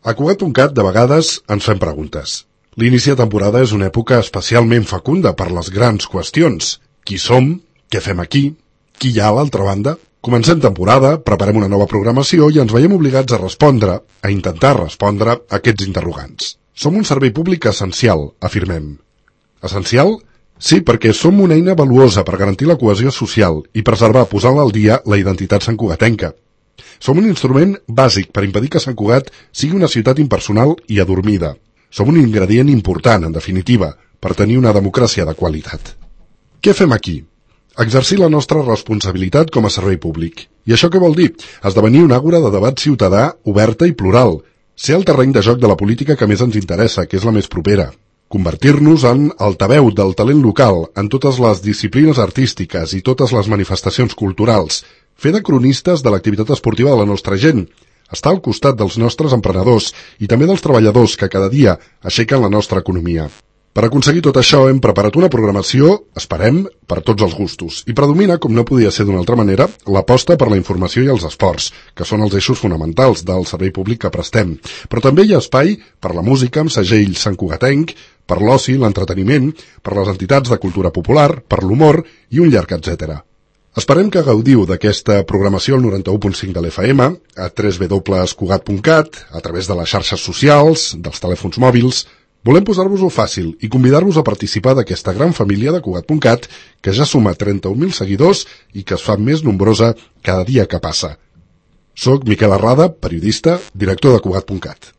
A Cugat.cat de vegades ens fem preguntes. L'inici de temporada és una època especialment fecunda per les grans qüestions. Qui som? Què fem aquí? Qui hi ha a l'altra banda? Comencem temporada, preparem una nova programació i ens veiem obligats a intentar respondre a aquests interrogants. Som un servei públic essencial, afirmem. Essencial? Sí, perquè som una eina valuosa per garantir la cohesió social i preservar, posant al dia, la identitat santcugatenca. Som un instrument bàsic per impedir que Sant Cugat sigui una ciutat impersonal i adormida. Som un ingredient important, en definitiva, per tenir una democràcia de qualitat. Què fem aquí? Exercir la nostra responsabilitat com a servei públic. I això què vol dir? Esdevenir una àgora de debat ciutadà oberta i plural. Ser el terreny de joc de la política que més ens interessa, que és la més propera. Convertir-nos en altaveu del talent local en totes les disciplines artístiques i totes les manifestacions culturals. Fer de cronistes de l'activitat esportiva de la nostra gent. Estar al costat dels nostres emprenedors i també dels treballadors que cada dia aixequen la nostra economia. Per aconseguir tot això hem preparat una programació, esperem, per tots els gustos. I predomina, com no podia ser d'una altra manera, l'aposta per la informació i els esports, que són els eixos fonamentals del servei públic que prestem. Però també hi ha espai per la música amb segell santcugatenc, per l'oci, l'entreteniment, per les entitats de cultura popular, per l'humor i un llarg etcètera. Esperem que gaudiu d'aquesta programació al 91.5 de l'FM, a www.cugat.cat, a través de les xarxes socials, dels telèfons mòbils. Volem posar-vos-ho fàcil i convidar-vos a participar d'aquesta gran família de Cugat.cat, que ja suma 31.000 seguidors i que es fa més nombrosa cada dia que passa. Soc Miquel Arrada, periodista, director de Cugat.cat.